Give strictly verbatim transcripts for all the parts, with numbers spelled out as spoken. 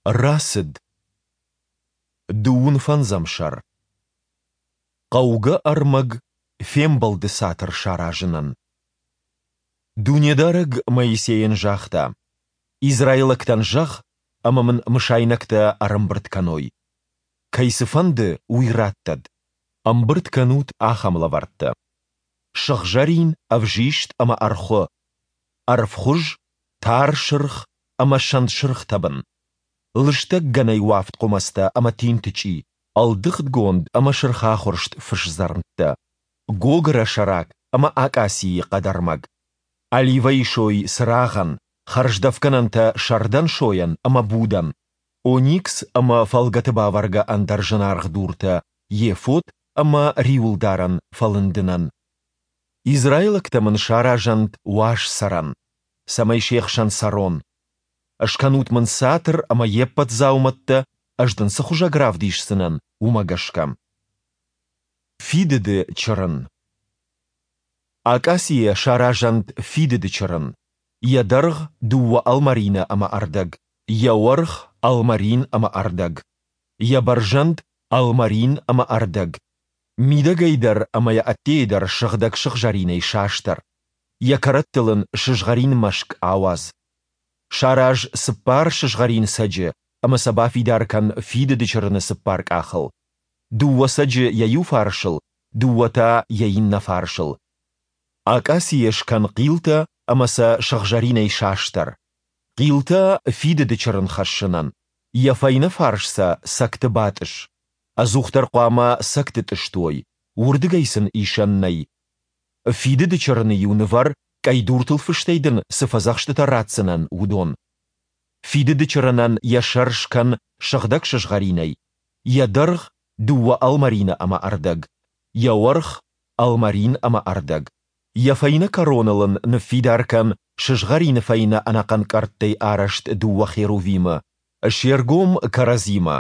Рацыд. Дыууын фӕндзӕм сӕр. Хъӕугӕ ӕрмӕг Фембӕлды Цатыр саразынӕн. Дунедарӕг Моисейӕн загъта: Израилӕгтӕн зӕгъ, ӕмӕ Мын мысайнӕгтӕ ӕрӕмбырд кӕной. Кӕй цы фӕнды, уый раттӕд. Ӕмбырд кӕнут ахӕм лӕвӕрттӕ: сыгъзӕрин, ӕвзист ӕмӕ ӕрхуы, ӕрвхуыз, тар сырх ӕмӕ сӕнтсырх тӕбын, лыстӕг гӕнӕй уӕфт хъуымӕцтӕ ӕмӕ тинтычъи, ӕлдыгъдгонд ӕмӕ сырхахуырст фысдзӕрмттӕ, гогырӕ сӕрак ӕмӕ акъацийы хъӕдӕрмӕг, оливӕйы сой цырагъӕн, хӕрздӕфгӕнӕнтӕ сӕрдӕн сойӕн ӕмӕ будӕн, оникс ӕмӕ фӕлгӕты бавӕргӕ ӕндӕр зынаргъ дуртӕ ефод ӕмӕ риуылдарӕн фӕлындынӕн. Израилӕгтӕ мын саразӕнт уаз цӕрӕн, цӕмӕй се хсӕн цӕрон. Скӕнут мын цатыр ӕмӕ йе ппӕт дзаумӕттӕ, ӕз дын цы хуызӕг равдисдзынӕн, уымӕ гӕсгӕ. Фидыды чырын. Акъацийӕ саразӕнт фидыды чырын. Йӕ дӕргъ дыууӕ ӕлмӕрины ӕмӕ ӕрдӕг, йӕ уӕрх ӕлмӕрин ӕмӕ ӕрдӕг, йӕ бӕрзӕнд ӕлмӕрин ӕмӕ ӕрдӕг. Мидӕгӕй дӕр ӕмӕ йӕ ӕддейӕ дӕр сыгъдӕг сыгъзӕринӕй састӕр. Йӕ кӕрӕттыл ын сызгъӕрин мӕскъ ауадз. Сараз цыппар сызгъӕрин цӕджы ӕмӕ сӕ бафидар кӕн фидыды чырыны цыппар къахыл. Дыууӕ цӕджы йӕ иу фарсыл, дыууӕ та йӕ иннӕ фарсыл. Акъацийӕ скӕн хъилтӕ ӕмӕ сӕ сыгъзӕринӕй састӕр. Хъилтӕ фидыды чырын хӕссынӕн. Йӕ фӕйнӕ фарс сӕ цӕгты батъысс. Ӕдзухдӕр хъуамӕ цӕгты тъыст уой, уырдыгӕй сын исӕн нӕй. Фидыды чырыны-иу нывӕр, къӕйдуртыл фыстӕй дын цы фӕдзӕхстытӕ ратдзынӕн, уыдон. Фидыды чырынӕн йӕ сӕр скӕн сыгъдӕг сызгъӕринӕй, йӕ дӕргъ дыууӕ ӕлмӕрины ӕмӕ ӕрдӕг, йӕ уӕрх ӕлмӕрин ӕмӕ ӕрдӕг. Йӕ фӕйнӕ кӕроныл ын ныффидар кӕн сызгъӕрины фӕйнӕ ӕнӕхъӕн къӕрттӕй арӕзт дыууӕ херувимы, се ргом кӕрӕдзимӕ,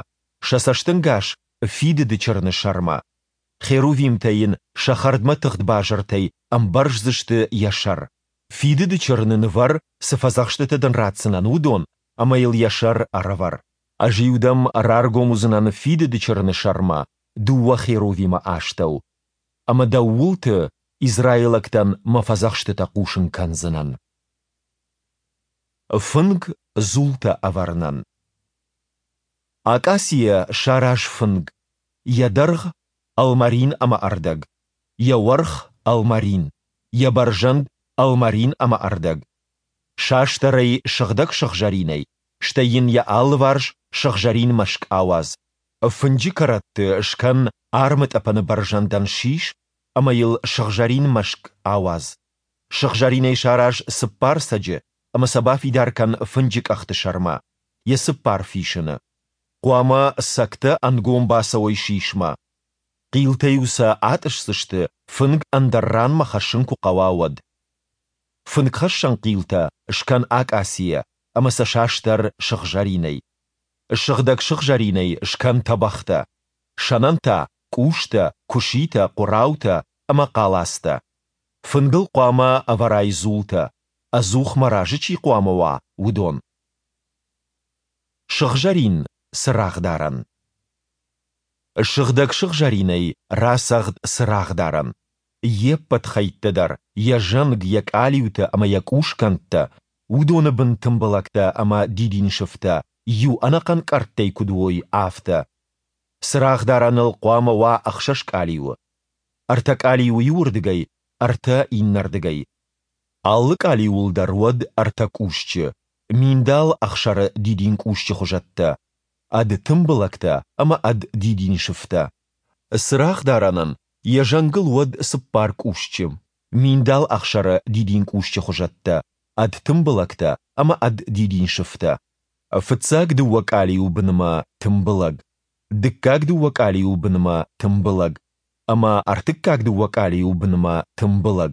сӕ цӕстӕнгас Фидыды чырыны сӕрмӕ. Херувимтӕ йын сӕ хӕрдмӕ тыгъд базыртӕй ӕмбӕрздзысты йӕ сӕр. Фидыды чырыны нывӕр, цы фӕдзӕхстытӕ дын ратдзынӕн, уыдон, ӕмӕ йыл йӕ сӕр ӕрӕвӕр. Ӕз-иу дӕм раргом уыдзынӕн Фидыды чырыны сӕрмӕ, дыууӕ херувимы астӕу. Ӕмӕ дӕу уылты израилӕгтӕн мӕ фӕдзӕхстытӕ хъусын кӕндзынӕн. Фынг дзултӕ ӕвӕрынӕн. Акъацийӕ сараз фынг, йӕ дӕргъ ӕлмӕрин ӕмӕ ӕрдӕг, йӕ уӕрх ӕлмӕрин, йӕ бӕрзӕнд ӕлмӕрин ӕмӕ ӕрдӕг. Састӕр ӕй сыгъдӕг сыгъзӕринӕй, стӕй йын йӕ алыварс сыгъзӕрин мӕскъ ауадз. Фынджы кӕрӕтты скӕн армытъӕпӕны бӕрзӕндӕн сис ӕмӕ йыл сыгъзӕрин мӕскъ ауадз. Сыгъзӕринӕй сараз цыппар цӕджы ӕмӕ сӕ бафидар кӕн фынджы къӕхты сӕрмӕ, йӕ цыппар фисыны. Хъуамӕ цӕгтӕ ӕнгом бацӕуой сисмӕ. Хъилтӕ-иу сӕ атъысдзысты, фынг ӕндӕр ранмӕ хӕссын куы хъӕуа, уӕд. Фынгхӕссӕн хъилтӕ скӕн акъацийӕ ӕмӕ сӕ састӕр сыгъзӕринӕй. Сыгъдӕг сыгъзӕринӕй скӕн тӕбӕгътӕ. Сӕнӕн та къустӕ, куыситӕ, хъуыраутӕ ӕмӕ хъалацтӕ. Фынгыл хъуамӕ ӕвӕрай дзултӕ, ӕдзух мӕ разы чи хъуамӕ уа, уыдон. Сыгъзӕрин цырагъдарӕн. Сыгъдӕг сыгъзӕринӕй рацӕгъд цырагъдарӕн. Йе ппӕт хӕйттӕ дӕр, йӕ зӕнг, йӕ къалиутӕ ӕмӕ йӕ къусгӕндтӕ, уыдоны бын тымбылӕгтӕ ӕмӕ дидинсыфтӕ иу ӕнӕхъӕн къӕрттӕй куыд уой, афтӕ. Цырагъдарӕныл хъуамӕ уа ӕхсӕз къалиуы. Ӕртӕ къалиуы иуырдыгӕй, ӕртӕ иннӕрдыгӕй. Алы къалиуыл дӕр уӕд ӕртӕ къусчы, миндал ӕхсӕры дидинкъусчы хуызӕттӕ, ӕд тымбылӕгтӕ ӕмӕ ӕд дидинсыфтӕ. Цырагъдарӕнӕн йӕ зӕнгыл уӕд цыппар къусчы, миндал ӕхсӕры дидинкъусчы хуызӕттӕ, ӕд тымбылӕгтӕ ӕмӕ ӕд дидинсыфтӕ. Фыццаг дыууӕ къалиуы бынмӕ тымбылӕг, дыккаг дыууӕ къалиуы бынмӕ тымбылӕг ӕмӕ ӕртыккаг дыууӕ къалиуы бынмӕ тымбылӕг.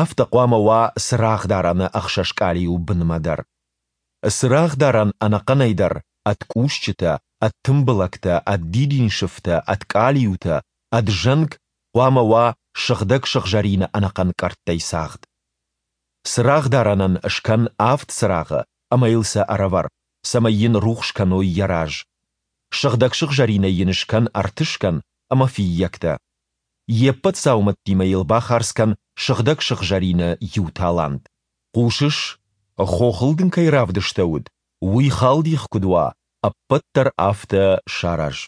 Афтӕ хъуамӕ уа цырагъдарӕны ӕхсӕз къалиуы бынмӕ дӕр. Цырагъдарӕн ӕнӕхъӕнӕй дӕр ӕд къусчытӕ, ӕд тымбылӕгтӕ, ӕд дидинсыфтӕ, ӕд къалиутӕ, ӕд зӕнг хъуамӕ уа сыгъдӕг сыгъзӕрины ӕнӕхъӕн къӕрттӕй цагъд. Цырагъдарӕнӕн скӕн авд цырагъы ӕмӕ йыл сӕ ӕрӕвӕр, цӕмӕй йын рухс кӕной йӕ раз. Сыгъдӕг сыгъзӕринӕй йын скӕн ӕртыскӕн ӕмӕ фыййӕгтӕ. Йе ппӕт дзаумӕттимӕ йыл бахардз кӕн сыгъдӕг сыгъзӕрины иу талант. Хъусыс, хохыл дын кӕй равдыстӕуыд, уый халдих куыд уа, ӕппӕт дӕр афтӕ сараз.